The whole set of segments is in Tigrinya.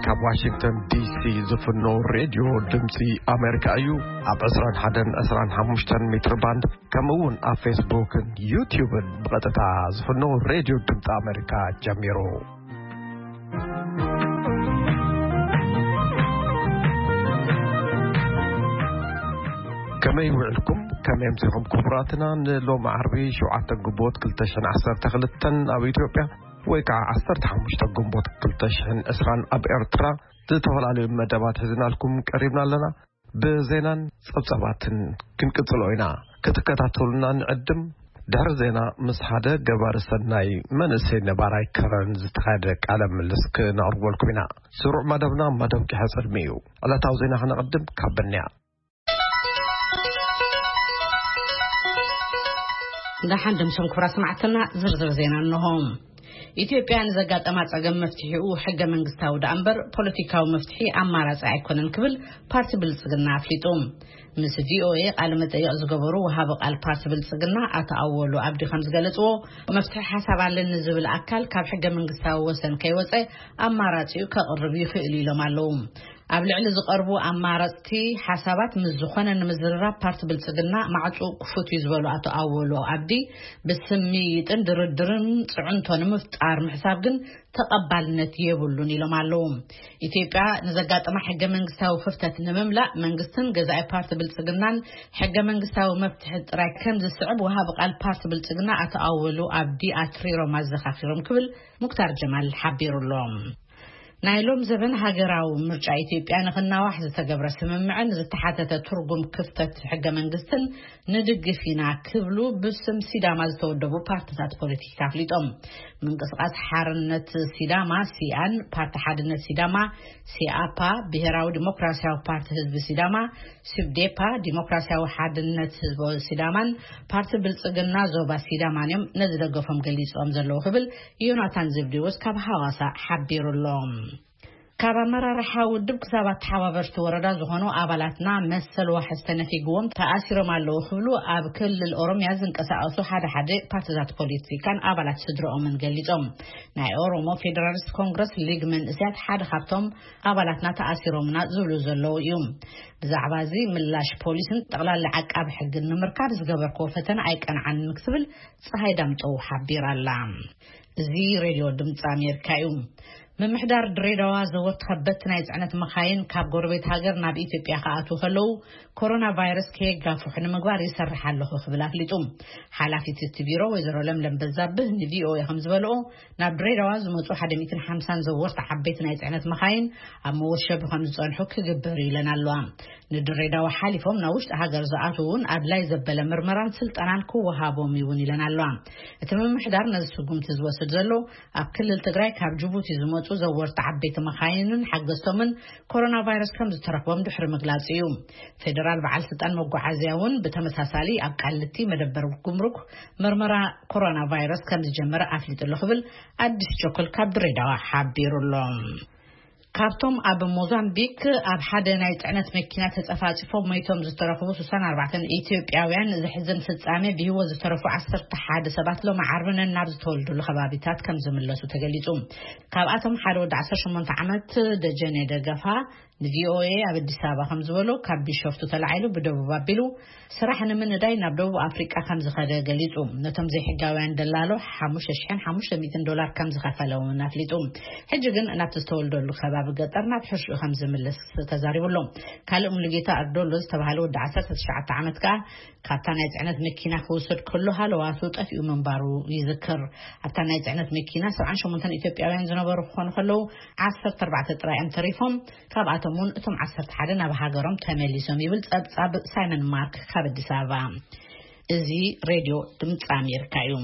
ካብ ዋሽንግተን ዲሲ ዝፍኖ ሬድዮ ድምፂ ኣሜሪካ እዩ። ኣብ ዕስራን ሓደን ዕስራን ሓሙሽተን ሜትር ባንድ፣ ከምኡ እውን ኣብ ፌስቡክን ዩቲዩብን ብቐጥታ ዝፍኖ ሬድዮ ድምፂ ኣሜሪካ ጀሚሩ። ከመይ ውዕልኩም? ከመይ ኣምሲኹም ክቡራትና? ንሎሚ ዓርቢ ሸውዓተ ግንቦት ክልተ ሽሕን ዓሰርተ ክልተን ኣብ ኢትዮጵያ፣ ወይ ከዓ ዓሰርተ ሓሙሽተ ግንቦት ክልተ ሽሕን ዕስራን ኣብ ኤርትራ፣ ዝተፈላለዩ መደባት ሒዝናልኩም ቀሪብና ኣለና። ብዜናን ጸብጻባትን ክንቅጽሎ ኢና። ክትከታተሉና ንዕድም። ድሕሪ ዜና ምስ ሓደ ገባሪ ሰናይ መንእሰይ ነባራይ ከረን ዝተኻየደ ቃለ ምልልስ ክነቕርበልኩም ኢና። ስሩዕ መደብና መደብ ቂሐ ጽልሚ እዩ። ዕለታዊ ዜና ክነቕድም ካብ በንያ። ደሓን ድምሶም ክቡራት ሰማዕትና፣ ዝርዝር ዜና እንሆ። ኢትዮጵያ ንዘጋጠማ ጸገም መፍትሒኡ ሕገ መንግስታዊ ደኣ እምበር ፖለቲካዊ መፍትሒ ኣማራጺ ኣይኮነን ክብል ፓርቲ ብልጽግና ኣፍሊጡ። ምስ ቪኦኤ ቃለ መጠይቕ ዝገበሩ ወሃቢ ቃል ፓርቲ ብልጽግና ኣቶ ኣወሉ ኣብዲ ከም ዝገለጽዎ፣ መፍትሒ ሓሳብ ኣለኒ ዝብል ኣካል ካብ ሕገ መንግስታዊ ወሰን ከይወጸ ኣማራጺኡ ከቕርብ ይኽእል ኢሎም ኣለዉ። ኣብ ልዕሊ ዝቐርቡ ኣማረጽቲ ሓሳባት ምስ ዝኾነ ንምዝርራብ ፓርቲ ብልጽግና ማዕጹ ክፉት እዩ ዝበሉ ኣቶ ኣወሉ ኣብዲ፣ ብስምይጥን ድርድርን ጽዕንቶ ንምፍጣር ምሕሳብ ግን ተቐባልነት የብሉን ኢሎም ኣለዉ። ኢትዮጵያ ንዘጋጠማ ሕገ መንግስታዊ ክፍተት ንምምላእ መንግስትን ገዛኢ ፓርቲ ብልጽግናን ሕገ መንግስታዊ መፍትሒ ጥራይ ከም ዝስዕብ ወሃቢ ቃል ፓርቲ ብልጽግና ኣቶ ኣወሉ ኣብዲ ኣትሪሮም ኣዘኻኺሮም ክብል ሙክታር ጀማል ሓቢሩ ኣሎ። ናይ ሎም ዘበን ሃገራዊ ምርጫ ኢትዮጵያ ንኽናዋሕ ዝተገብረ ስምምዕን ዝተሓተተ ትርጉም ክፍተት ሕገ መንግስትን ንድግፍ ኢና ክብሉ ብስም ሲዳማ ዝተወደቡ ፓርትታት ፖለቲካ ኣፍሊጦም። ምንቅስቃስ ሓርነት ሲዳማ፣ ሲኣን፣ ፓርቲ ሓድነት ሲዳማ፣ ሲኣፓ፣ ብሄራዊ ዲሞክራሲያዊ ፓርቲ ህዝቢ ሲዳማ፣ ሲብዴፓ፣ ዲሞክራሲያዊ ሓድነት ህዝቢ ሲዳማን ፓርቲ ብልጽግና ዞባ ሲዳማን እዮም ነዚ ደገፎም ገሊጾም ዘለዉ ክብል ዮናታን ዘብዴዎስ ካብ ሃዋሳ ሓቢሩ ኣሎ። ካብ ኣመራርሓ ውድብ ክሳብ ኣተሓባበርቲ ወረዳ ዝኾኑ ኣባላትና መሰል ዋሕስ ተነፊግዎም ተኣሲሮም ኣለዉ ክብሉ ኣብ ክልል ኦሮምያ ዝንቀሳቐሱ ሓደ ሓደ ፓርትታት ፖለቲካን ኣባላት ስድረኦምን ገሊጾም። ናይ ኦሮሞ ፌደራሊስት ኮንግረስ ሊግ መንእስያት ሓደ ካብቶም ኣባላትና ተኣሲሮምና ዝብሉ ዘለዉ እዩ። ብዛዕባ እዚ ምላሽ ፖሊስን ጠቕላላ ዓቃቢ ሕግን ንምርካብ ዝገበርክዎ ፈተነ ኣይቀንዓንን ክብል ፀሃይ ዳምጠው ሓቢራ ኣላ። እዚ ሬድዮ ድምፂ ኣሜሪካ እዩ። ምምሕዳር ድሬዳዋ ዘወርቲ ከበድቲ ናይ ፅዕነት መኻይን ካብ ጎረቤት ሃገር ናብ ኢትዮጵያ ክኣትዉ ከለዉ ኮሮና ቫይረስ ከየጋፍሑ ንምግባር ይሰርሕ ኣለኹ ክብል ኣፍሊጡ። ሓላፊት እቲ ቢሮ ወይዘሮ ለምለም በዛብህ ንቪኦኤ ከም ዝበልኦ፣ ናብ ድሬዳዋ ዝመፁ ሓደ ሚእትን ሓምሳን ዘወርቲ ዓበይቲ ናይ ፅዕነት መኻይን ኣብ መወሸቢ ከም ዝፀንሑ ክግበር እዩ ኢለን ኣለዋ። ንድሬዳዋ ሓሊፎም ናብ ውሽጢ ሃገር ዝኣትዉ እውን ኣድላይ ዘበለ ምርመራን ስልጠናን ክወሃቦም ይውን ኢለን ኣለዋ። እቲ ምምሕዳር ነዚ ስጉምቲ ዝወስድ ዘሎ ኣብ ክልል ትግራይ ካብ ጅቡቲ ዝመፁ ዘወርቲ ዓበይቲ መኻይንን ሓገዝቶምን ኮሮና ቫይረስ ከም ዝተረኽቦም ድሕሪ ምግላፅ እዩ። ፌደራል በዓል ስልጣን መጓዓዝያ እውን ብተመሳሳሊ ኣብ ቃሊቲ መደበር ጉምሩክ ምርመራ ኮሮና ቫይረስ ከም ዝጀመረ ኣፍሊጡ ኣሎ ክብል ኣዲስ ቸኮል ካብ ድሬዳዋ ሓቢሩ ኣሎ። ካብቶም ኣብ ሞዛምቢክ ኣብ ሓደ ናይ ጽዕነት መኪና ተጸፋጺፎም ሞይቶም ዝተረኽቡ ስሳን ኣርባዕተን ኢትዮጵያውያን ዘሕዝን ፍጻሜ፣ ብህይወት ዝተረፉ ዓሰርተ ሓደ ሰባት ሎሚ ዓርቢ ነናብ ዝተወልዱሉ ከባቢታት ከም ዝምለሱ ተገሊጹ። ካብኣቶም ሓደ ወዲ ዓሰርተ ሸሞንተ ዓመት ደጀኔ ደገፋ ንቪኦኤ ኣብ ኣዲስ ኣበባ ከም ዝበሎ፣ ካብ ቢሾፍቱ ተላዒሉ ብደቡብ ኣቢሉ ስራሕ ንምንዳይ ናብ ደቡብ ኣፍሪቃ ከም ዝኸደ ገሊጹ። ነቶም ዘይሕጋውያን ደላሎ ሓሙሽተ ሽሕን ሓሙሽተ ሚእትን ዶላር ከም ዝኸፈለ እውን ኣፍሊጡ። ሕጂ ግን ናብቲ ዝተወልደሉ ከባቢ ገጠር ናብ ሕርሽኡ ከም ዝምለስ ተዛሪቡ ኣሎ። ካልእ ሙሉጌታ ኣርዶሎ ዝተባህለ ወዲ ዓሰርተ ትሽዓተ ዓመት ከኣ ካብታ ናይ ጽዕነት መኪና ክውሰድ ከሎ ሃለዋቱ ጠፊኡ ምንባሩ ይዝከር። ኣብታ ናይ ጽዕነት መኪና ሰብዓን ሸሞንተን ኢትዮጵያውያን ዝነበሩ ክኾኑ ከለዉ፣ ዓሰርተ ኣርባዕተ ጥራይ እዮም ተሪፎም። ካብኣቶም እውን እቶም ዓሰርተ ሓደ ናብ ሃገሮም ተመሊሶም ይብል ጸብጻብ ሳይመን ማርክ ካብ ኣዲስ ኣበባ። እዚ ሬድዮ ድምፂ ኣሜሪካ እዩ።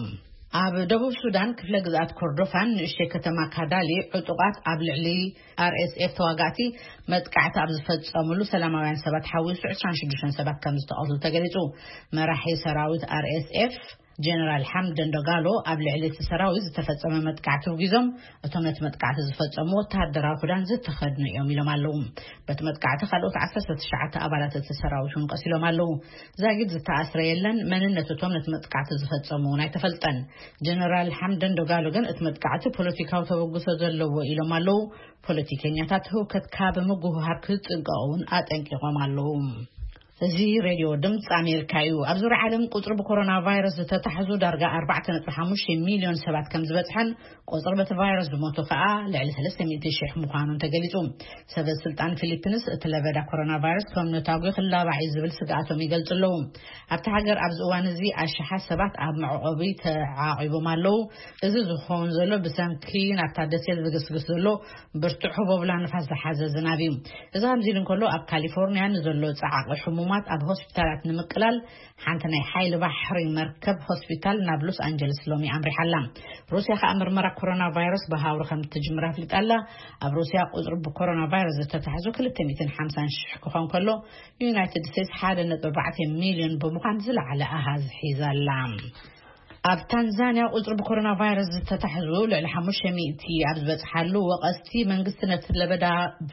ኣብ ደቡብ ሱዳን ክፍለ ግዝኣት ኮርዶፋን ንእሽተይ ከተማ ካዳሊ ዕጡቓት ኣብ ልዕሊ ኣርኤስኤፍ ተዋጋእቲ መጥቃዕቲ ኣብ ዝፈጸሙሉ ሰላማውያን ሰባት ሓዊሱ ዕስራን ሽዱሽተን ሰባት ከም ዝተቐትሉ ተገሊጹ። መራሒ ሰራዊት ኣርኤስኤፍ ጀነራል ሓምደን ዶጋሎ ኣብ ልዕሊ እቲ ሰራዊት ዝተፈጸመ መጥቃዕቲ ውጊዞም፣ እቶም ነቲ መጥቃዕቲ ዝፈጸሙ ወተሃደራዊ ክዳን ዝተኸድኑ እዮም ኢሎም ኣለዉ። በቲ መጥቃዕቲ ካልኦት ዓሰርተ ትሽዓተ ኣባላት እቲ ሰራዊት እውን ቀሲሎም ኣለዉ። ዛጊድ ዝተኣስረ የለን። መንነት እቶም ነቲ መጥቃዕቲ ዝፈጸሙ እውን ኣይተፈልጠን። ጀነራል ሓምደን ዶጋሎ ግን እቲ መጥቃዕቲ ፖለቲካዊ ተበግሶ ዘለዎ ኢሎም ኣለዉ። ፖለቲከኛታት ህውከት ካብ ምጉህሃር ክጥንቀቑ እውን ኣጠንቂቖም ኣለዉ። እዚ ሬድዮ ድምፂ ኣሜሪካ እዩ። ኣብ ዙርያ ዓለም ቁፅሪ ብኮሮና ቫይረስ ዝተታሕዙ ዳርጋ ኣርባዕተ ነጥቢ ሓሙሽተ ሚሊዮን ሰባት ከም ዝበፅሐን ቁፅሪ በቲ ቫይረስ ዝሞቱ ከዓ ልዕሊ ሰለስተ ሚእቲ ሺሕ ምዃኑን ተገሊፁ። ሰበ ስልጣን ፊሊፒንስ እቲ ለበዳ ኮሮና ቫይረስ ከም ነታጒ ክላባዕ እዩ ዝብል ስግኣቶም ይገልፁ ኣለዉ። ኣብቲ ሃገር ኣብዚ እዋን እዚ ኣሽሓት ሰባት ኣብ መዕቆቢ ተዓቂቦም ኣለዉ። እዚ ዝኸውን ዘሎ ብሰንኪ ናብታ ደሴት ዝግስግስ ዘሎ ብርቱዕ ህቦብላ ንፋስ ዝሓዘ ዝናብ እዩ። እዚ ከምዚ ኢሉ እንከሎ፣ ኣብ ካሊፎርኒያ ንዘሎ ጸዓቂ ሕሙማት ኣብ ሆስፒታላት ንምቅላል ሓንቲ ናይ ሓይሊ ባሕሪ መርከብ ሆስፒታል ናብ ሎስ ኣንጀለስ ሎሚ ኣምሪሓ ኣላ። ሩስያ ከኣ ምርመራ ኮሮና ቫይረስ ብሃውሪ ከም እትጅምር ኣፍሊጣ ኣላ። ኣብ ሩስያ ቁጽሪ ብኮሮና ቫይረስ ዝተታሕዙ ክልተ ሚእትን ሓምሳን ሽሕ ክኾን ከሎ፣ ዩናይትድ ስቴትስ ሓደ ነጥቢ ኣርባዕተ ሚልዮን ብምዃን ዝለዓለ ኣሃዝ ሒዛ ኣላ። ኣብ ታንዛንያ ቁጽሪ ብኮሮና ቫይረስ ዝተታሕዙ ልዕሊ ሓሙሽተ ሚእቲ ኣብ ዝበጽሓሉ ወቐስቲ፣ መንግስቲ ነቲ ለበዳ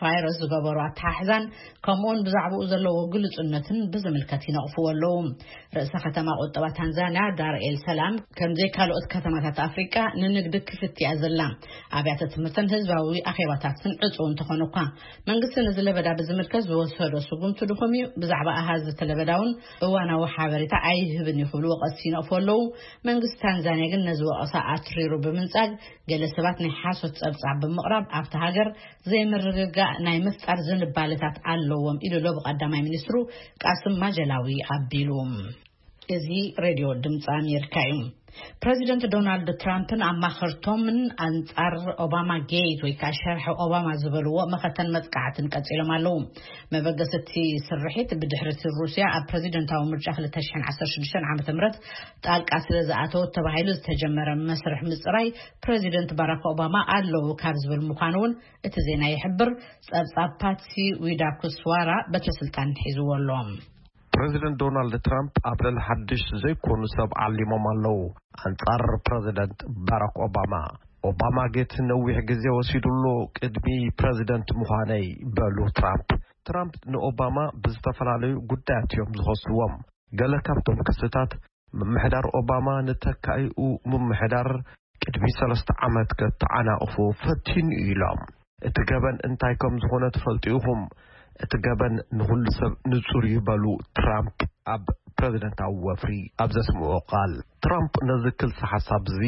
ቫይረስ ዝገበሩ ኣተሓሕዛን ከምኡውን ብዛዕባኡ ዘለዎ ግልጹነትን ብዝምልከት ይነቕፍዎ ኣለዉ። ርእሰ ከተማ ቁጠባ ታንዛንያ ዳር ኤል ሰላም፣ ከምዘይ ካልኦት ከተማታት ኣፍሪቃ፣ ንንግዲ ክፍት እያ ዘላ። ኣብያተ ትምህርትን ህዝባዊ ኣኼባታትን ዕጹው እንተኾኑ እኳ፣ መንግስቲ ነዚ ለበዳ ብዝምልከት ዝወሰዶ ስጉምቲ ድኹም እዩ። ብዛዕባ ኣሃዝ እቲ ለበዳ እውን እዋናዊ ሓበሬታ ኣይህብን እዩ ክብሉ ወቐስቲ ይነቕፉ ኣለዉ። መንግስቲ ታንዛንያ ግን ነዚ ወቐሳ ኣትሪሩ ብምንጻግ፣ ገለ ሰባት ናይ ሓሶት ጸብጻብ ብምቕራብ ኣብቲ ሃገር ዘይምርግጋእ ናይ ምፍጣር ዝንባለታት ኣለዎም ኢሉ ኣሎ ብቀዳማይ ሚኒስትሩ ቃስም ማጀላዊ ኣቢሉ። እዚ ሬድዮ ድምፂ ኣሜሪካ እዩ። ፕረዚደንት ዶናልድ ትራምፕን ኣማኸርቶምን ኣንጻር ኦባማ ጌት ወይ ከዓ ሸርሒ ኦባማ ዝበልዎ መኸተን መጥቃዕትን ቀጺሎም ኣለዉ። መበገሲ እቲ ስርሒት ብድሕሪ እቲ ሩስያ ኣብ ፕረዚደንታዊ ምርጫ ክልተ ሽሕን ዓሰርተ ሽዱሽተን ዓመተ ምህረት ጣልቃ ስለ ዝኣተወት ተባሂሉ ዝተጀመረ መስርሕ ምጽራይ ፕረዚደንት ባራክ ኦባማ ኣለዉ ካብ ዝብል ምዃኑ እውን እቲ ዜና ይሕብር። ጸብጻብ ፓትሲ ዊዳኩስዋራ በትሪ ስልጣን ሒዝዎ ኣሎ። ፕረዚደንት ዶናልድ ትራምፕ ኣብ ልዕሊ ሓድሽ ዘይኮኑ ሰብ ዓሊሞም ኣለዉ። ኣንጻር ፕረዚደንት ባራክ ኦባማ፣ ኦባማ ጌት ነዊሕ ግዜ ወሲዱሉ ቅድሚ ፕረዚደንት ምዃነይ፣ በሉ ትራምፕ። ትራምፕ ንኦባማ ብዝተፈላለዩ ጉዳያት እዮም ዝኸስዎም። ገለ ካብቶም ክስታት፣ ምምሕዳር ኦባማ ንተካኢኡ ምምሕዳር ቅድሚ ሰለስተ ዓመት ከተዓናቕፎ ፈቲኑ ኢሎም። እቲ ገበን እንታይ ከም ዝኾነ ትፈልጡ ኢኹም። እቲ ገበን ንኹሉ ሰብ ንጹር እዩ፣ በሉ ትራምፕ ኣብ ፕረዚደንታዊ ወፍሪ ኣብ ዘስምዑ ቃል። ትራምፕ ነዚ ክልሲ ሓሳብ እዚ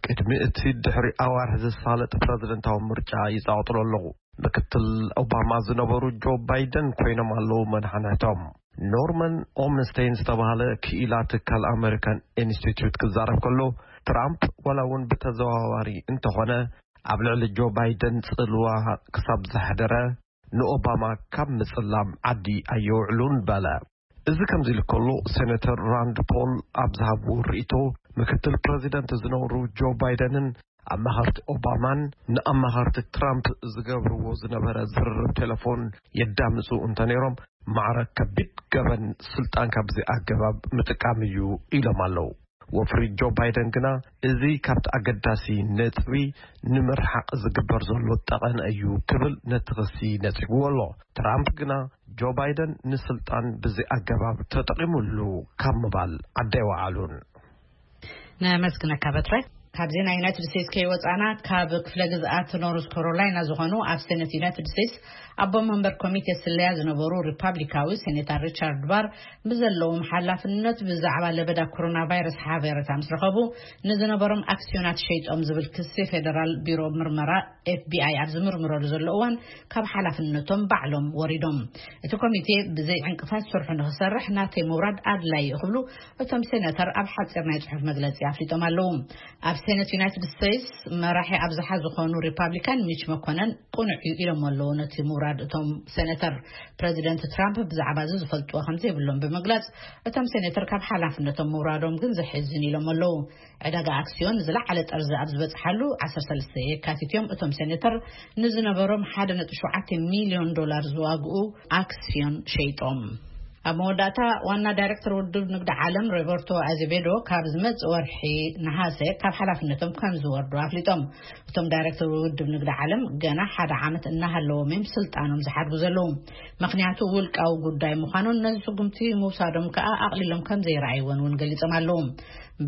ቅድሚ እቲ ድሕሪ ኣዋርሕ ዝሳለጥ ፕረዚደንታዊ ምርጫ ይጻወጥሎ ኣለኹ። ምክትል ኦባማ ዝነበሩ ጆ ባይደን ኮይኖም ኣለዉ መድሓናይቶም። ኖርማን ኦምንስቴን ዝተባህለ ክኢላ ትካል ኣመሪካን ኢንስቲትዩት ክዛረብ ከሎ፣ ትራምፕ ዋላ እውን ብተዘዋዋሪ እንተኾነ ኣብ ልዕሊ ጆ ባይደን ጽልዋ ክሳብ ዘሕደረ፣ ንኦባማ ካብ ምጽላም ዓዲ ኣየውዕሉን በለ። እዚ ከምዚ ኢሉ ከሎ፣ ሴኔተር ራንድ ፖል ኣብ ዝሃብዎ ርእይቶ፣ ምክትል ፕረዚደንት ዝነበሩ ጆ ባይደንን ኣማኸርቲ ኦባማን ንኣማኸርቲ ትራምፕ ዝገብርዎ ዝነበረ ዝርርብ ቴሌፎን የዳምጹ እንተነይሮም፣ ማዕረ ከቢድ ገበን ስልጣን ካብዚ ኣገባብ ምጥቃም እዩ ኢሎም ኣለዉ። ወፍሪ ጆ ባይደን ግና፣ እዚ ካብቲ ኣገዳሲ ነጥቢ ንምርሓቕ ዝግበር ዘሎ ጠቐነ እዩ ክብል ነቲ ክሲ ነጺግዎ ኣሎ። ትራምፕ ግና፣ ጆ ባይደን ንስልጣን ብዚ ኣገባብ ተጠቒሙሉ ካብ ምባል ዓዲ ኣይወዓሉን። ነመስግነካ በትረ። ካብ ዜና ዩናይትድ ስቴትስ ከይወፃና፣ ካብ ክፍለ ግዝኣት ኖርዝ ካሮላይና ዝኾኑ ኣብ ሴኔት ዩናይትድ ስቴትስ ኣቦ መንበር ኮሚቴ ስለያ ዝነበሩ ሪፓብሊካዊ ሴኔተር ሪቻርድ ባር ብዘለዎም ሓላፍነት ብዛዕባ ለበዳ ኮሮና ቫይረስ ሓበሬታ ምስ ረኸቡ፣ ንዝነበሮም ኣክስዮናት ሸይጦም ዝብል ክሲ ፌደራል ቢሮ ምርመራ ኤፍ ቢ ኣይ ኣብ ዝምርምረሉ ዘሎ እዋን ካብ ሓላፍነቶም ባዕሎም ወሪዶም። እቲ ኮሚቴ ብዘይ ዕንቅፋት ስርሑ ንክሰርሕ ናተይ ምውራድ ኣድላይ እዩ ክብሉ እቶም ሴናተር ኣብ ሓጺር ናይ ጽሑፍ መግለጺ ኣፍሊጦም ኣለዉ። ኣብ ሴነት ዩናይትድ ስቴትስ መራሒ ኣብዝሓ ዝኾኑ ሪፓብሊካን ሚች መኮነን ቅኑዕ እዩ ኢሎም ኣለዉ ነቲ ምውራድ እቶም ሴናተር። ፕረዚደንት ትራምፕ ብዛዕባ እዚ ዝፈልጥዎ ከም ዘይብሎም ብምግላጽ፣ እቶም ሴናተር ካብ ሓላፍነቶም ምውራዶም ግን ዘሕዝን ኢሎም ኣለዉ። ዕዳጋ ኣክስዮን ዝለዓለ ጠርዚ ኣብ ዝበጽሓሉ ዓሰርተ ሰለስተ የካቲት እዮም እቶም ሴናተር ንዝነበሮም ሓደ ነጥቢ ሸውዓተ ሚልዮን ዶላር ዝዋግኡ ኣክስዮን ሸይጦም። ኣብ መወዳእታ ዋና ዳይሬክተር ውድብ ንግዲ ዓለም ሮበርቶ ኣዜቬዶ ካብ ዝመጽእ ወርሒ ነሃሰ ካብ ሓላፍነቶም ከም ዝወርዱ ኣፍሊጦም። እቶም ዳይሬክተር ውድብ ንግዲ ዓለም ገና ሓደ ዓመት እናሃለዎም እዮም ስልጣኖም ዝሓድጉ ዘለዉ። ምኽንያቱ ውልቃዊ ጉዳይ ምዃኑን ነዚ ስጉምቲ ምውሳዶም ከኣ ኣቕሊሎም ከም ዘይረኣይዎን እውን ገሊጾም ኣለዉ።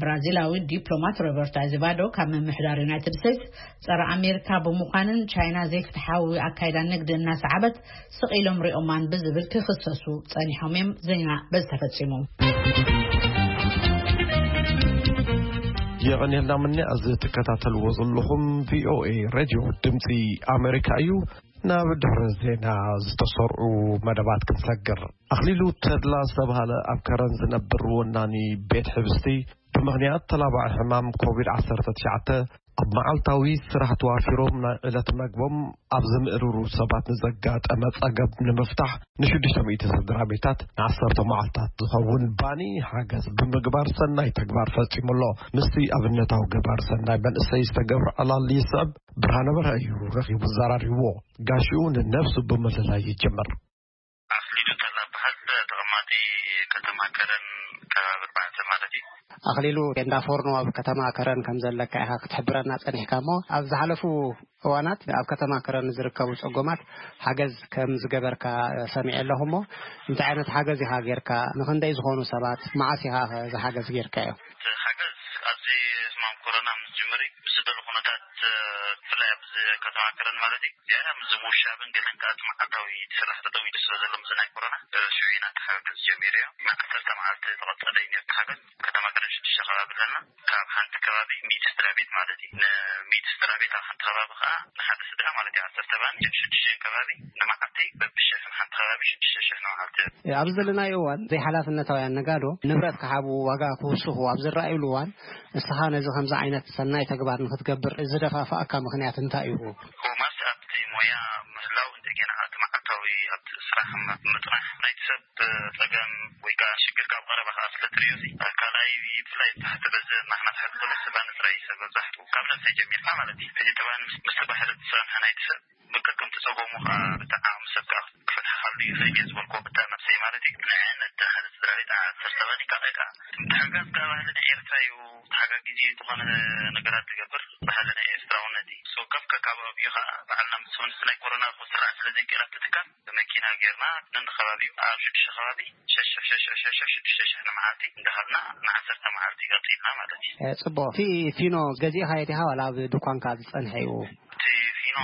ብራዚላዊ ዲፕሎማት ሮበርቶ ኣዜቫዶ ካብ ምምሕዳር ዩናይትድ ስቴትስ ጸረ ኣሜሪካ ብምዃንን ቻይና ዘይፍትሓዊ ኣካይዳ ንግዲ እናሰዓበት ስቕ ኢሎም ሪኦማን ብዝብል ክኽሰሱ ጸኒሖም እዮም። ዜና በዚ ተፈጺሙ። የቐንየልና ምኒ። እዚ ትከታተልዎ ዘለኹም ቪኦኤ ሬድዮ ድምፂ ኣሜሪካ እዩ። ናብ ድሕሪ ዜና ዝተሰርዑ መደባት ክንሰግር። ኣኽሊሉ ተድላ ዝተባህለ ኣብ ከረን ዝነብር ወናኒ ቤት ሕብስቲ ብምኽንያት ተላባዒ ሕማም ኮቪድ ዓሰርተ ትሽዓተ ኣብ መዓልታዊ ስራሕ ተዋፊሮም ናይ ዕለት መግቦም ኣብ ዝምእርሩ ሰባት ንዘጋጠመ ጸገም ንምፍታሕ ንሽዱሽተ ሚእቲ ስድራ ቤታት ንዓሰርተ መዓልታት ዝኸውን ባኒ ሓገዝ ብምግባር ሰናይ ተግባር ፈጺሙ ኣሎ። ምስቲ ኣብነታዊ ገባር ሰናይ መንእሰይ ዝተገብረ ዕላል ይስዕብ ብርሃነ በርሀ እዩ ረኺቡ ዘራሪብዎ። ጋሽኡ ንነብሱ ብምልላይ ይጀምር። ኣኽሊሉ ተላ በሃል ተቐማጢ ከተማ ከረን ከባቢ ኣርባዕተ ማለት እዩ። ኣኽሊሉ ቴንዳ ፎርኖ ኣብ ከተማ ከረን ከም ዘለካ ኢኻ ክትሕብረና ጸኒሕካ እሞ፣ ኣብ ዝሓለፉ እዋናት ኣብ ከተማ ከረን ዝርከቡ ጸጎማት ሓገዝ ከም ዝገበርካ ሰሚዐ ኣለኹ እሞ፣ እንታይ ዓይነት ሓገዝ ኢኻ ጌርካ? ንኽንደይ ዝኾኑ ሰባት? መዓስ ኢኻ እዚ ሓገዝ ጌርካዮ? እቲ ሓገዝ ኣብዚ ሕማም ኮሮና ምስ ጅምሪ ብዝደሎ ኩነታት፣ ብፍላይ ኣብዚ ከተማ ከረን ማለት እዩ፣ ዝያዳ ምስ ምውሻብን ገለን ከኣ እቲ መዓልታዊ ስራሕ ተጠዊሉ ስለ ዘሎ፣ ምስዚ ናይ ኮሮና፣ ሽዑ ኢና እቲ ሓገዝ ጀሚሩ እዩ። ንዓሰርተ መዓልቲ ዝቐጸለ እዩ ነቲ ሓገዝ። ከተማ ከረን ሽዱሽተ ከባቢ ኣለና። ካብ ሓንቲ ከባቢ ሚእቲ ስድራ ቤት ማለት እዩ። ንሚእቲ ስድራ ቤት ኣብ ሓንቲ ከባቢ ከኣ ንሓደ ስድራ ማለት እዩ፣ ዓሰርተ ባኒ፣ ሽዱሽተ ከባቢ ንመዓልቲ በብሽሕ፣ ንሓንቲ ከባቢ ሽዱሽተ ሽሕ ንመዓልቲ። ኣብዚ ዘለናዮ እዋን ዘይሓላፍነታውያን ነጋዶ ንብረት ክሓቡ፣ ዋጋ ክውስኹ ኣብ ዝረኣዩሉ እዋን፣ እስኻ ነዚ ከምዚ ዓይነት ሰናይ ተግባር ንኽትገብር ዝደፋፍኣካ ምኽንያት እንታይ እዩ? ቶማስ ኣብቲ ሞያ ምህላው እንደገና ኣብቲ መዓልታዊ ኣብቲ ስራሕ ምጥናሕ ናይቲ ሰብ ጸገም ወይ ከኣ ሽግር ካብ ቀረባ ከኣ ስለ ትርእዮ፣ ካልኣይ ብፍላይ ታሕቲ በዚ ናሕና ትሕቲ ዘሎ ስባ ንጥራይ ሰብ መብዛሕትኡ ካብ ነብሰይ ጀሚርካ ማለት እዩ። እዚ ተባን ምስ ምስ ተባህለ ዝጸንሐ ናይቲ ሰብ ብከከምቲ ጸገሙ ከኣ ብጣዕሚ ሰብ ከኣ ክፈትሓሉ ይኽእል እየ ዝበልኩ ብታ ነብሰይ ማለት እዩ። ንዕነት ሓደ ስድራ ቤት ዓሰርተ ባኒ ካልኣይ ከኣ ምትሕጋዝ ከኣ ባህሊ ናይ ኤርትራ እዩ። ተሓጋጊዚ ዝኾነ ነገራት ትገብር ባህሊ ናይ ኤርትራውነት እዩ። ሶ ከፍ ከካባቢኡ ከኣ በዓልና ምስ ሆንስ ናይ ኮሮና ክስራሕ ስለ ዘይክእል ኣብቲ ትካል ብመኪና ጌርና ነንዲ ከባቢ ኣብ ሽዱሽተ ከባቢ ሸሽ ሸሽ ሸሽ ሸሽ ሽዱሽተ ሽሕ ንመዓልቲ እንዳሃብና ንዓሰርተ መዓልቲ ቀጺልና ማለት እዩ። ጽቡቕ። እቲ ፊኖ ገዚእኻዮ ዲኻ ዋላ ኣብ ድኳንካ ዝጸንሐ እዩ? እቲ ፊኖ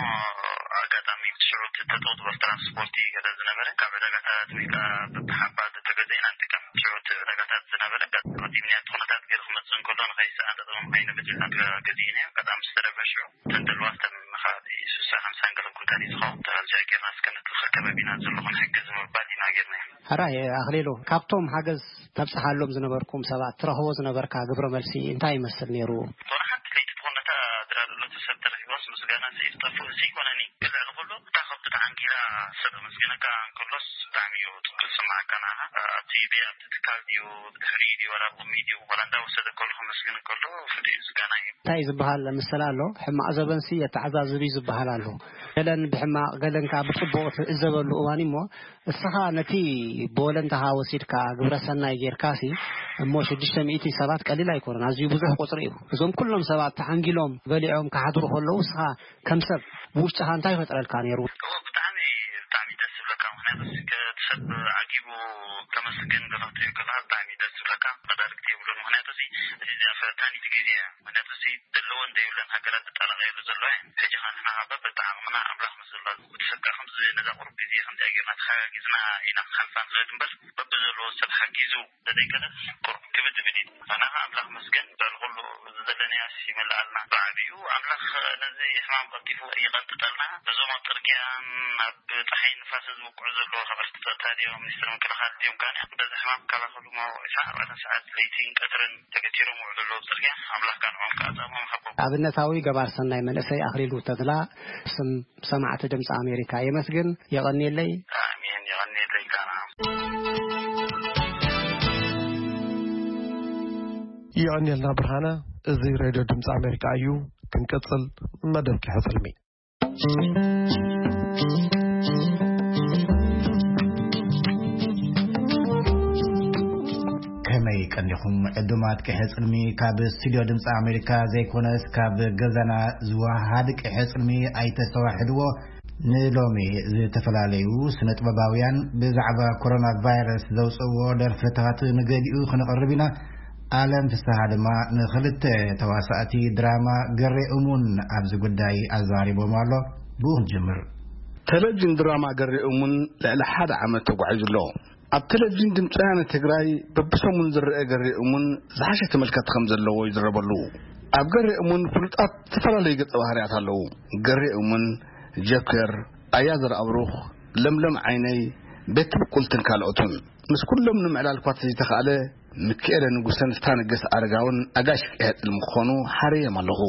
ኣጋጣሚ ሽዑ ተጠው ዝበል ትራንስፖርቲ ገለ ዝነበረ ካብ ዕዳጋታት ወይ ከዓ በብሓባ ተገዚእና ንጥቀም። ሽዑ እቲ ዕዳጋታት ዝነበረ ኣጋጣሚ ምኽንያት ኩነታት ገይሩ ክመፅእ እንከሎ ንኸይሰኣን ጠጠው ኣይንብል ኢልና ገዚእናዮ። ኣጋጣሚ ዝተረፈ ሽዑ እተን ደልዋተን ንከባቢ ስሳ ሓምሳን ገለ ኩንታል እዩ ዝኸውን። ተረጃ ጌርና እስከ ነቲ ከባቢና ዘሎ ክንሕግዝ ንምባል ኢና ጌርናዮ። ሕራይ ኣኽሊሉ፣ ካብቶም ሓገዝ ተብጽሓሎም ዝነበርኩም ሰባት ትረኽቦ ዝነበርካ ግብረ መልሲ እንታይ ይመስል ነይሩ? ዝኾነ ሓንቲ ለይቲ ትኹን ነታ ድራር እለቱ ሰብ ተረኺቦስ ምስጋና ስኢት ጠፍኡ እዚ ይኮነኒ። ግን ልዕሊ ኩሉ እታ ከብዱ ተዓንጊላ ሰብ ኣመስግነካ እንከሎስ ብጣዕሚ እዩ ጽቡቅ ዝስምዓካ ንዓኻ። ኣብቲ ቤት ኣብቲ ትካል ድዩ ብድሕሪ ድዩ ዋላ ኣብ ቅድሚ ድዩ ዋላ እንዳወሰደ ከሎ ከመስግን እንከሎ ፍሉይ እዩ ዝጋና እዩ። እንታይ ዝበሃል ምስላ ኣሎ፣ ሕማቕ ዘበንሲ የተዓዛዝብ እዩ ዝበሃል ኣሎ። ገለን ብሕማቕ ገለን ከኣ ብጽቡቕ ትዕዘበሉ እዋን እዩ እሞ፣ እስኻ ነቲ ብወለንታኻ ወሲድካ ግብረ ሰናይ ጌርካሲ እሞ ሽዱሽተ ሚእቲ ሰባት ቀሊል ኣይኮነን፣ ኣዝዩ ብዙሕ ቁጽሪ እዩ። እዞም ኩሎም ሰባት ተሓንጊሎም በሊዖም ክሓድሩ ከለዉ እስኻ ከም ሰብ ብውሽጥኻ እንታይ ይፈጥረልካ ነይሩ? እወ፣ ብጣዕሚ፣ ብጣዕሚ ደስ ዝብለካ፣ ምኽንያቱ እቲ ሰብ ዓጊቡ ከመስግን ከፍትዮ ከለኻ ብጣዕሚ ደስ ዝብለካ። መዳርግቲ የብሉን፣ ምኽንያቱ እዚ፣ እዚ ፈታኒት ግዜ እያ። ምኽንያቱ እዚ ዘለዎን ዘይብለን ሃገራት ዝጠላቐየሉ ዘሎ እየን። ሕጂ ኸኣ ንሕና በበዓቕምና ኣምላኽ ምስ ዘሎ እቲ ሰብ ከኣ ከምዚ ነዛ ቁሩብ ግዜ ከምዚኣ ጌርና ተሓጋጊዝና ኢና ክንሓልፋ ንኽእል እምበር፣ በብዘለዎ ሰብ ሓጊዙ ተዘይከለ ቁሩብ ክብድ ዝብል እዩ። ኣነ ኸኣ ኣምላኽ መስገን ልዕሊ ኩሉ እዚ ዘለናዮ ይመልኣልና። ብዓቢኡ ኣምላኽ ነዚ ሕማም ቀልጢፉ ይቐንጥጠልና። ነዞም ኣብ ጽርግያን ኣብ ጸሓይን ንፋስን ዝውቅዑ ዘለዉ ሓለፍቲ ጸጥታ ድዮም፣ ሚኒስትሪ ምክልኻል ድዮም፣ ካን በዚ ሕማም ክከላኸሉ መዋዕለ ዕስራን ኣርባዕተን ሰዓት ለይትን ቀትርን ተገቲሮም ይውዕሉ ኣለዉ ኣብ ጽርግያ። ኣምላኽ ከኣ ንዕኦም ከኣ ጻማኦም ይሃቦም። ኣብነታዊ ገባር ሰናይ መንእሰይ ኣኽሊሉ ተድላ ስም ሰማዕቲ ድምፂ ኣሜሪካ የመስግን። የቐንየለይ። ኣሜን፣ የቐንየለይ። ይቐንየልና ብርሃነ። እዚ ሬድዮ ድምፂ ኣሜሪካ እዩ። ክንቅፅል መደብ ኪሐ ፅልሚ። ናይ ቀኒኹም ዕዱማት ቅሐ ጽልሚ ካብ ስቱድዮ ድምፂ ኣሜሪካ ዘይኮነስ ካብ ገዛና ዝወሃድ ቅሐ ጽልሚ ኣይተስተዋሕድዎ። ንሎሚ ዝተፈላለዩ ስነ ጥበባውያን ብዛዕባ ኮሮና ቫይረስ ዘውፅእዎ ደርፍታት ንገሊኡ ክንቕርብ ኢና። ኣለም ፍስሃ ድማ ንክልተ ተዋሳእቲ ድራማ ገሬ እሙን ኣብዚ ጉዳይ ኣዛሪቦም ኣሎ። ብኡ ክንጅምር። ቴሌቪዥን ድራማ ገሬ እሙን ልዕሊ ሓደ ዓመት ተጓዒዙ ኣሎ። ኣብ ቴሌቪዥን ድምፂ ወያነ ትግራይ በብሰሙን ዝረአ ገሬ እሙን ዝሓሸ ተመልከቲ ከም ዘለዎ ይዝረበሉ። ኣብ ገሬ እሙን ፍሉጣት ዝተፈላለዩ ገፀ ባህርያት ኣለዉ። ገሬ እሙን፣ ጀከር፣ ኣያ ዘርኣብሩኽ፣ ለምለም ዓይነይ፣ ቤት ብቁልትን ካልኦትን። ምስ ኩሎም ንምዕላል እኳ ተዘይተኻእለ፣ ምክኤለ ንጉሰን ስታነገስ ኣረጋውን ኣጋሽ ቅሐ ጽልሚ ክኾኑ ሓረዮም ኣለኹ።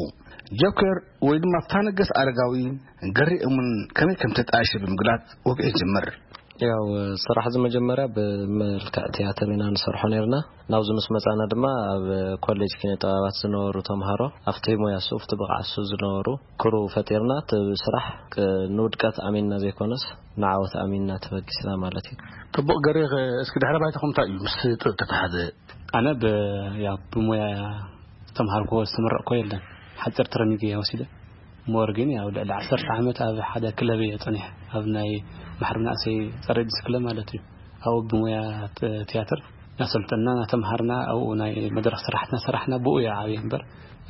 ጆከር ወይ ድማ ስታነገስ ኣረጋዊ ገሬ እሙን ከመይ ከም ተጣየሸ ብምግላጽ ወግዒ ይጅምር። ያው ስራሕ እዚ መጀመርያ ብመልክዕ ትያትር ኢና ንሰርሖ ነርና። ናብዚ ምስ መጻና ድማ ኣብ ኮሌጅ ኪነ ጥበባት ዝነበሩ ተምሃሮ ኣብቲ ሞያ እሱ፣ ኣብቲ ብቕዓት እሱ ዝነበሩ ክሩ ፈጢርና፣ እቲ ስራሕ ክ-፣ ንውድቀት ኣሚንና ዘይኮነስ ንዓወት ኣሚንና ተበጊስና ማለት እዩ። ጥቡቕ ገሬ፣ እስኪ ድሕረ ባይታኹም እንታይ እዩ ምስ ጥበብ ተተሓዘ? ኣነ ብ-፣ ያው ብሞያ ዝተምሃርኩዎ ዝተመረቕኩዎ የለን። ሓፂር ትረሚግ እየ ወሲደ። ሞር ግን ያው ልዕሊ ዓሰርተ ዓመት ኣብ ሓደ ክለብ እየ ፀኒሐ። ኣብ ናይ ማሕበር መናእሰይ ፀረ ኤድስ ክለብ ማለት እዩ። ኣብኡ ብሞያ ት-፣ ትያትር እናሰልጠና እናተምሃርና ኣብኡ ናይ መድረኽ ስራሕትና ሰራሕና ብኡ እየ ዓብየ እምበር፣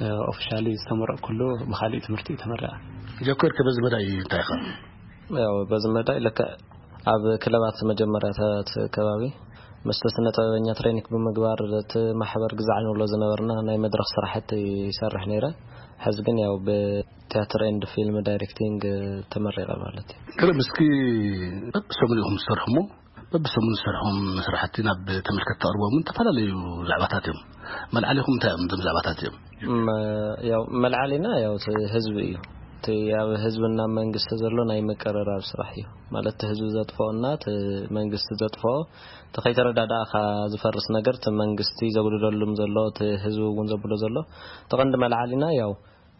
እ፣ ኦፊሻሊ ዝተመረቕኩሉ ብካሊእ ትምህርቲ እዩ ተመረቐ። ጀኮር ከ በዚ መዳይ እንታይ ኢኻ? ያው በዚ መዳይ ልክዕ ኣብ ክለባት መጀመርያታት ከባቢ ምስቲ ስነ ጥበበኛ ትሬኒክ ብምግባር እቲ ማሕበር ግዛዕ ንብሎ ዝነበርና ናይ መድረኽ ስራሕቲ ይሰርሕ ነይረ። ሕዚ ግን ያው ብቲያትር ኤንድ ፊልም ዳይሬክቲንግ ተመሪቐ ማለት እዩ። ገለ ምስኪ በብሰሙን ኢኹም ትሰርሑ እሞ በብሰሙን ዝሰርሖም ስራሕቲ ናብ ተመልከትቲ ተቕርቦምን ዝተፈላለዩ ዛዕባታት እዮም። መልዓሊኹም እንታይ እዮም እዞም ዛዕባታት እዮም? መ-፣ ያው መልዓሊና ያው እቲ ህዝቢ እዩ። እቲ ኣብ ህዝብና መንግስቲ ዘሎ ናይ ምቅርራብ ስራሕ እዩ። ማለት እቲ ህዝቢ ዘጥፍኦና እቲ መንግስቲ ዘጥፍኦ፣ እቲ ከይተረዳዳእካ ዝፈርስ ነገር እቲ መንግስቲ ዘጉድለሉም ዘሎ፣ እቲ ህዝቢ እውን ዘብሎ ዘሎ፣ እቲ ቀንዲ መልዓሊና ያው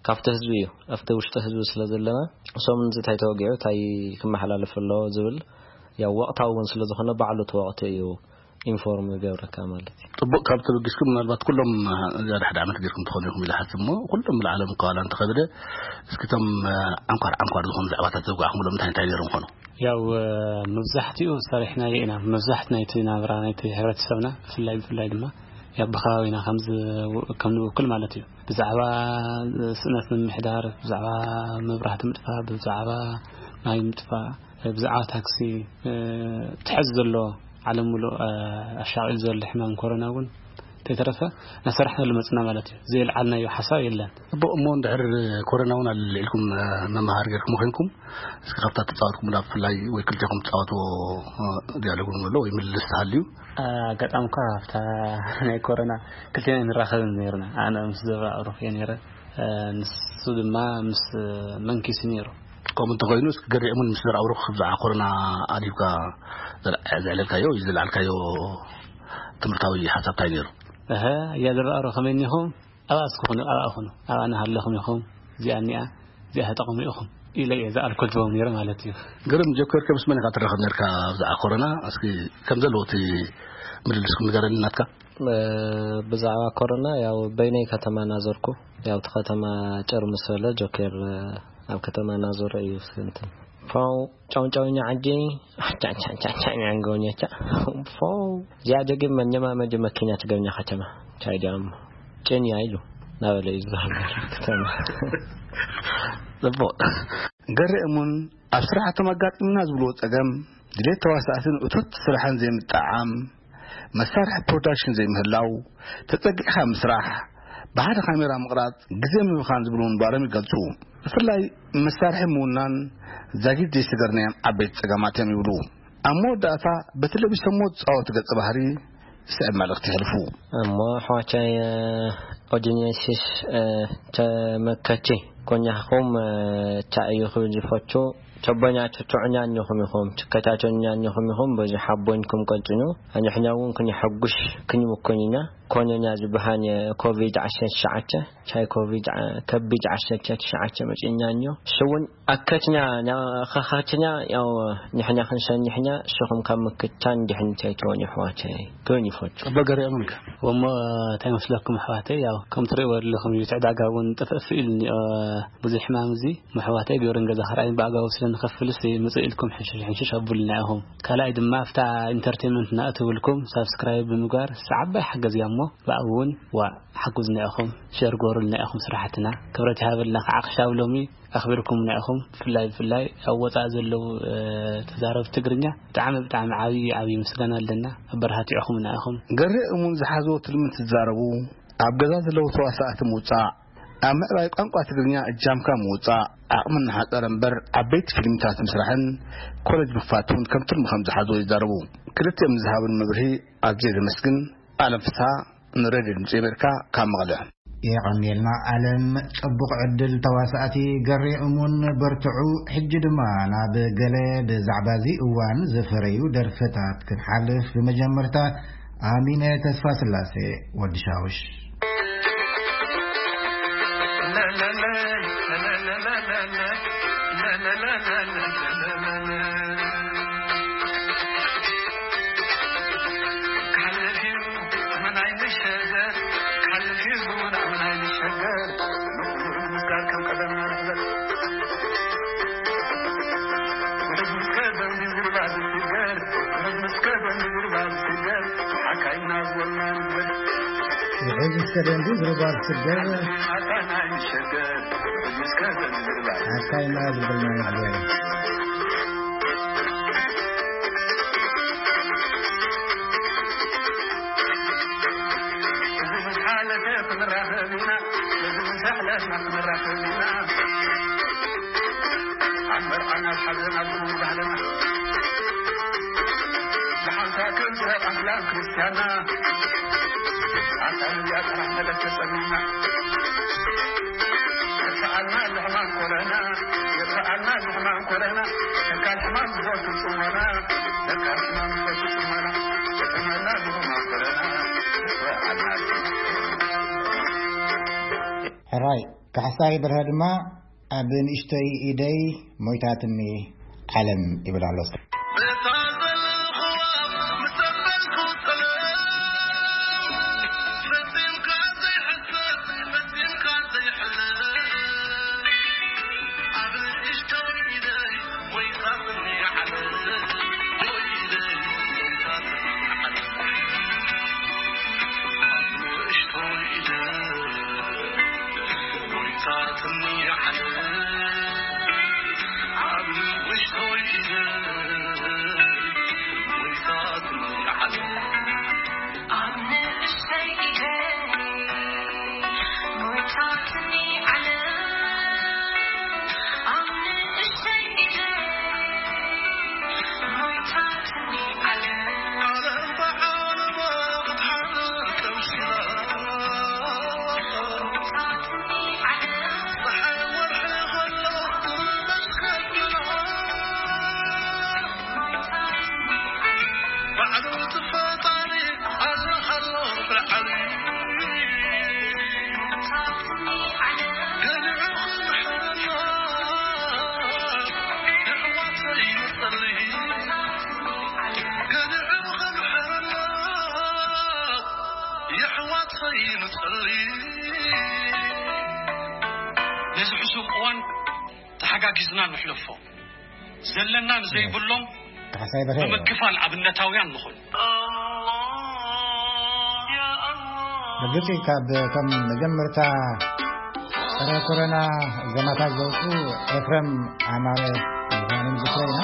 ካብቲ ህዝቢ እዩ። ኣብቲ ውሽጢ ህዝቢ ስለ ዘለና፣ እሶም እዚ እንታይ ተወጊዑ፣ እንታይ ክመሓላለፍ ኣለዎ ዝብል ያው ወቕታዊ እውን ስለ ዝኾነ ባዕሉ እቲ ወቕቲ እዩ ኢንፎርም ዝገብረካ ማለት እዩ። ጽቡቕ፣ ካብ ተበጊስኩም ምናልባት ኩሎም፣ እ፣ ዝያዳ ሓደ ዓመት ጌርኩም ትኾኑ ኢኹም ኢለ ሓስብ እሞ፣ ኩሎም ብልዓለም ከዋላ እንተኸብደ፣ እስኪ እቶም፣ እ፣ ዓንኳር ዓንኳር ዝኾኑ ዛዕባታት ዘውጋዕኩምሎም እንታይ እንታይ ነይሮም ኾኑ? ያው፣ እ፣ መብዛሕትኡ ሰሪሕናዮ ኢና። መብዛሕትኡ ናይቲ ናብራ ናይቲ ሕብረተሰብና ብፍላይ ብፍላይ ድማ ያው ብከባቢና ከም ዝ-፣ ከም ንውክል ማለት እዩ። ብዛዕባ ስእነት ምምሕዳር፣ ብዛዕባ መብራህቲ ምጥፋእ፣ ብዛዕባ ማይ ምጥፋእ፣ ብዛዕባ ታክሲ፣ እ፣ ትሕዝ ዘሎ ዓለም ሙሉእ፣ እ፣ ኣሻቒሉ ዘሎ ሕማም ኮሮና እውን እንተይተረፈ እናሰራሕናሉ መፅና ማለት እዩ። ዘየልዓልናዮ ሓሳብ የለን። ጽቡቕ፣ እሞ እንድሕር ኮሮና እውን ኣልዒልኩም፣ እ፣ መምሃር ጌርኩም ኮይንኩም፣ እስኪ ካብታ ተጻወትኩም ናብ ብፍላይ ወይ ክልቴኹም ትጻወትዎ፣ እ፣ ዲያሎግ እውን ኣሎ ወይ ምልልስ ተሃልዩ? ኣጋጣሚ እኳ ኣብታ ናይ ኮሮና ክልቴና ንራኸብን ነይርና። ኣነ ምስ ዘብራ ኣውሮፍ እየ ነይረ። እ፣ ንሱ ድማ ምስ መንኪስ ነይሩ። ከምኡ እንተኾይኑ፣ እስኪ ገሪዕሙን ምስ ዘርኣብሩኽ ብዛዕባ ኮሮና ኣድሂብካ ዘል-፣ ዘዕለልካዮ ወይ ዘለዓልካዮ ትምህርታዊ ሓሳብ እንታይ ነይሩ? እሀ፣ እያ ዘርኣብሩ ከመይ እኒኹም? ኣብኣ እስኪ ኩኑ፣ ኣብኣ ኩኑ፣ ኣብኣ እናሃለኹም ኢኹም፣ እዚኣ እኒኣ፣ እዚኣ ተጠቐሙ ኢኹም ኢለ እየ ዝኣልኮል ትቦም ነይረ ማለት እዩ። ግርም፣ ጀኮር ከ ምስ መን ኢኻ ትራኸብ ነርካ ብዛዕባ ኮሮና? እስኪ ከም ዘለዎ እቲ ምልልስኩም ንገረኒ ናትካ። እ፣ ብዛዕባ ኮሮና ያው በይነይ ከተማ ናዘርኩ። ያው እቲ ከተማ ጭር ምስ በለ ጆኬር፣ እ፣ ኣብ ከተማ ናዞረ እዩ እንትን። ፋው ጫው ጫው ኛ ዓጂ ጫ ጫ ጫ ጫ ኛ ገውኛ ጫ። ፋው እዚኣ ጀጊ መኘማ መጀ መኪና ትገብኛ ከተማ ቻይ ዲያም ጭን ያ ኢሉ ናበለ እዩ ዝዛረብ ከተማ። ጽቡቕ። ገሬ እሙን ኣብ ስራሕቶም ኣጋጢምና ዝብልዎ ጸገም፣ ድሌት ተዋሳእትን እቶት ስራሕን ዘይምጥዕዓም፣ መሳርሒ ፕሮዳክሽን ዘይምህላው፣ ተጸጊዕካ ምስራሕ፣ ብሓደ ካሜራ ምቕራጽ፣ ግዜ ምብኻን ዝብሉ ምንባሮም ይገልጹ። ብፍላይ መሳርሒ ምውናን ዛጊድ ዘይስገርናዮም ዓበይቲ ጸገማት እዮም ይብሉ። ኣብ መወዳእታ በቲ ለቢሶምዎ ዝጻወቱ ገጸ ባህሪ ዝስዕብ መልእኽቲ የሕልፉ። እሞ ኣሕዋቻይ፣ እ፣ ኦዲንየንሲስ፣ እ፣ ተመከቺ ኮኛኹም፣ እ፣ ቻ እዩ ክብል ዝፈቱ ቸቦኛቸው ቸዑኛኝኹም ኢኹም፣ ችከቻቸኛኝኹም ኢኹም፣ በዚ ሓቦኝኩም ቀጽኙ። ኣኛሕኛ እውን ክንሐጉሽ ክንምኮኝኛ። ኮነና ዝበሃን ኮቪድ ዓሰርተ ትሽዓተ፣ ቻይ ኮቪድ ዓ-፣ ከቢድ ዓሰርተ ትሽዓተ መጺእና እንዮ። እሱ እውን ኣከትና፣ ና-፣ ኸኸትና፣ ያው ንሕና ክንሰንሕና፣ ንስኹም ካብ ምክታን ድሕንት ኣይትኾኑ ኣሕዋተይ። ክብል ይፈቱ። ጽቡቅ ገሪኦም ኢልካ። እሞ እንታይ መስለኩም ኣሕዋተይ? ያው ከም ትርእይዎ ዘለኹም እዩ፣ እቲ ዕዳጋ እውን ጥፍእፍ ኢሉ እኒኦ። ብዙሕ ሕማም እዚ፣ ኣሕዋተይ ግብርን ገዛ ክርኣይን ብኣግባቡ ስለ ንኸፍልስ ምጽእ ኢልኩም ሕንሽሽ ሕንሽሽ ኣብሉና ኢኹም። ካልኣይ ድማ ኣብታ ኢንተርቴንመንት እናእተውልኩም ሳብስክራይብ ብምግባር፣ እሳ ዓባይ ሓገዝ እያ እሞ፣ ብኣኡ እውን ዋ ሓጉዝና ኢኹም፣ ሸር ግበሩልና ኢኹም ስራሕትና። ክብረት ይሃበልና ከዓ ክሻብ ሎሚ ኣኽቢርኩምና ኢኹም። ብፍላይ፣ ብፍላይ ኣብ ወጻኢ ዘለዉ፣ እ፣ ተዛረብቲ ትግርኛ ብጣዕሚ፣ ብጣዕሚ ዓብዪ፣ ዓብዪ ምስጋና ኣለና። ኣበረታቲዕኹምና ኢኹም። ገሬ እሙን ዝሓዝዎ ትልሚ እንትዛረቡ፣ ኣብ ገዛ ዘለዉ ተዋሳእቲ ምውጻእ፣ ኣብ ምዕባይ ቋንቋ ትግርኛ እጃምካ ምውጻእ፣ ዓቕሚ እናሓጸረ እምበር ዓበይቲ ፊልምታት ምስራሕን ኮሌጅ ምኽፋት እውን ከም ትልሚ ከም ዝሓዝዎ ይዛረቡ። ክልቲኦም ንዝሃቡን መብርሂ ኣዝየ ዘመስግን። ኣለም ፍስሃ፣ ንሬድዮ ድምጺ ኣሜሪካ ካብ መቐለ። የቐንየልና ኣለም፣ ጽቡቕ ዕድል ተዋሳእቲ ገሬ እሙን፣ በርትዑ። ሕጂ ድማ ናብ ገለ ብዛዕባ እዚ እዋን ዝፈረዩ ደርፍታት ክንሓልፍ፣ ብመጀመርታ ኣሚነ ተስፋስላሴ፣ ወዲ ሻውሽ። ውሕዝ እስከ ደንዲ ዝርባ ዝስገር፣ ሓካይና ዝብልና ንሕበር። እዚ ምስ ሓለፈ ክንራኸብ ኢና፣ እዚ ምስ ኣሕለፍና ክንራኸብ ኢና። ኣብ መርዓና፣ ኣብ ሓዘና፣ ኣብ ክቡር ባህልና፣ ብሓንሳብ ክንስረቕ ኣስላም ክርስትያንና፣ ኣታ ነዚኣ ጥራሕ መለስ ተጸሚምና። የጥፍኣልና እዚ ሕማም ኮረና፣ የጥፍኣልና እዚ ሕማም ኮረና፣ ተካል ሕማም ዝፈቱ ጽሞና፣ ተካል ሕማም ዝፈቱ ጽሞና፣ የጥፍኣልና እዚ ሕማም ኮረና፣ የጥፍኣልና እዚ ሕማም ኮረና። ሕራይ፣ ካሕሳይ በርሀ ድማ ኣብ ንእሽተይ ኢደይ ሞይታትኒ ዓለም ይብል ኣሎ። ነዚ ሕሱም እዋን ተሓጋጊዝና ንሕለፎ። ዘለና ንዘይብሎም ካሕሳይ በርሀ እዩ። ብምክፋል ኣብነታውያን ንኹን። ርግጽ እዩ፣ ካብ እቶም መጀመርታ ጸረ ኮሮና ዜማታት ዘውጽኡ ኤፍረም ኣማረ ምዃኖም ዝክረ ኢና።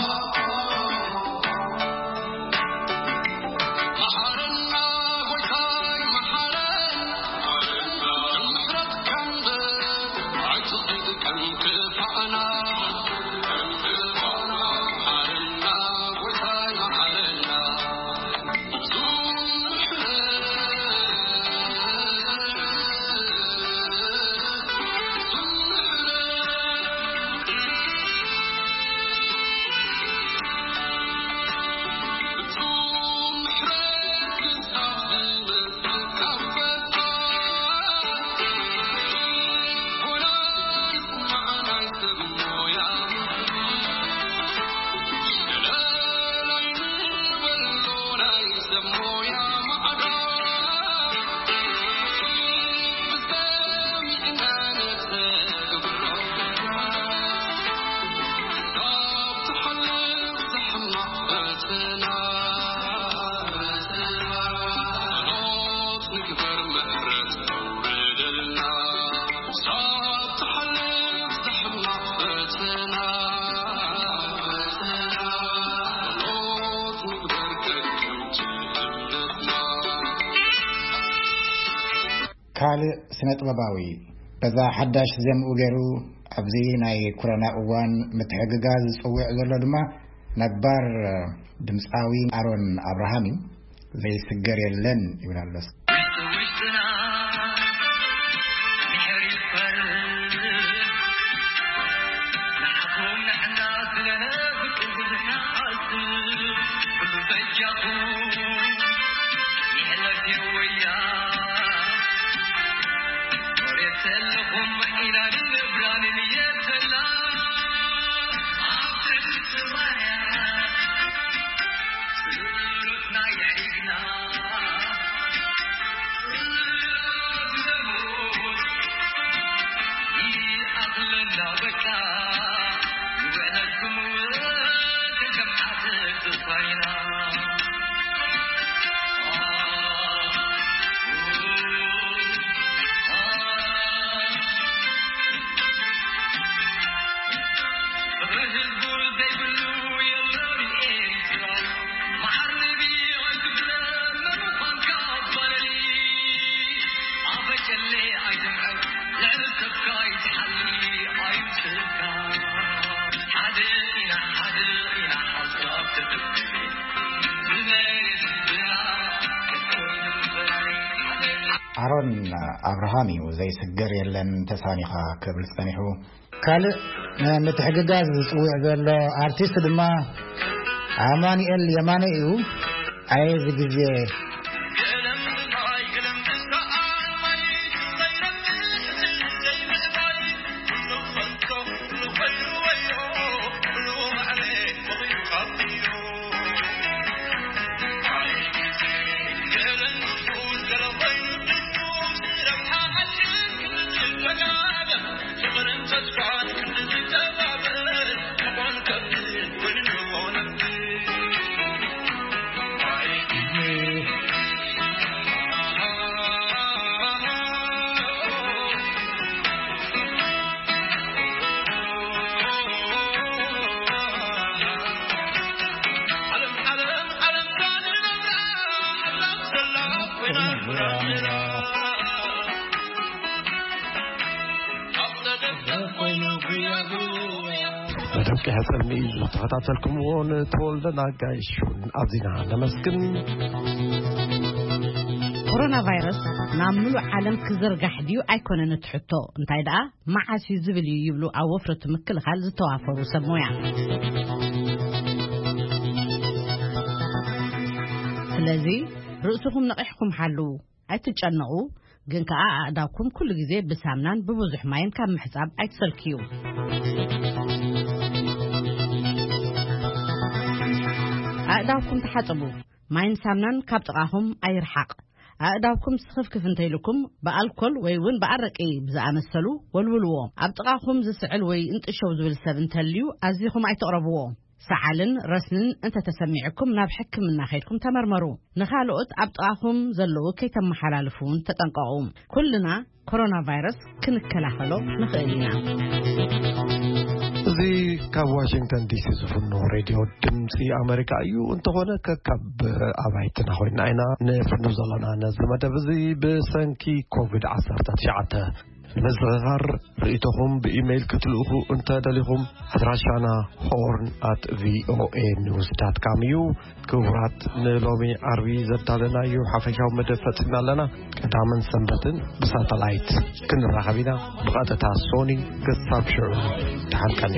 ካልእ ስነ ጥበባዊ በዛ ሓዳሽ ዜምኡ ገይሩ ኣብዚ ናይ ኮሮና እዋን ምትሕግጋዝ ዝጽውዕ ዘሎ ድማ ነባር ድምፃዊ ኣሮን ኣብርሃም እዩ። ዘይስገር የለን ይብል ኣሎ። ኣሮን ኣብርሃም እዩ ዘይስገር የለን ተሳኒኻ ክብል ጸኒሑ። ካልእ ምትሕግጋዝ ዝጽውዕ ዘሎ ኣርቲስት ድማ ኣማኑኤል የማነ እዩ። ኣየ እዚ ግዜ መደብ ቀይሕ ጸልሚ እዩ ዝተኸታተልኩምዎ። ንተወልደ ናጋይሹን ኣብዚና ነመስግን። ኮሮና ቫይረስ ናብ ምሉእ ዓለም ክዝርጋሕ ድዩ ኣይኮነን እቲ ሕቶ፣ እንታይ ደኣ መዓስ እዩ ዝብል እዩ ይብሉ ኣብ ወፍረቱ ምክልኻል ዝተዋፈሩ ሰብ ሞያ። ስለዚ ርእስኹም ነቒሕኩም ሓልዉ። ኣይትጨነቑ፣ ግን ከኣ ኣእዳውኩም ኩሉ ግዜ ብሳምናን ብብዙሕ ማይን ካብ ምሕጻብ ኣይትሰልክዩ። ኣእዳውኩም ተሓጸቡ፣ ማይን ሳምናን ካብ ጥቓኹም ኣይርሓቕ። ኣእዳውኩም ስኽፍክፍ እንተኢልኩም ብኣልኮል ወይ እውን ብኣረቂ ብዝኣመሰሉ ወልውልዎ። ኣብ ጥቓኹም ዝስዕል ወይ እንጥሸው ዝብል ሰብ እንተልዩ ኣዚኹም ኣይትቕረብዎ። ሰዓልን ረስንን እንተተሰሚዕኩም ናብ ሕክምና ከይድኩም ተመርመሩ። ንኻልኦት ኣብ ጥቓኹም ዘለዉ ከይተመሓላልፉ እውን ተጠንቀቑ። ኩልና ኮሮና ቫይረስ ክንከላኸሎ ንኽእል ኢና። እዚ ካብ ዋሽንግተን ዲሲ ዝፍኖ ሬድዮ ድምፂ ኣሜሪካ እዩ። እንተኾነ ከካብ ኣባይትና ኮይና ኢና ንፍኖ ዘለና። ነዚ መደብ እዚ ብሰንኪ ኮቪድ ዓሰርተ ትሽዓተ ንምዝኽኻር ርእይቶኹም ብኢሜይል ክትልእኹ እንተ ደሊኹም ኣድራሻና ሆርን ኣት ቪኦኤ ኒውስ ዳት ካም እዩ። ክቡራት ንሎሚ ዓርቢ ዘዳለናዮ ሓፈሻዊ መደብ ፈጺምና ኣለና። ቀዳምን ሰንበትን ብሳተላይት ክንራኸብ ኢና። ብቐጥታ ሶኒ ክሳብ ሽዑ ተሓልቀኒ።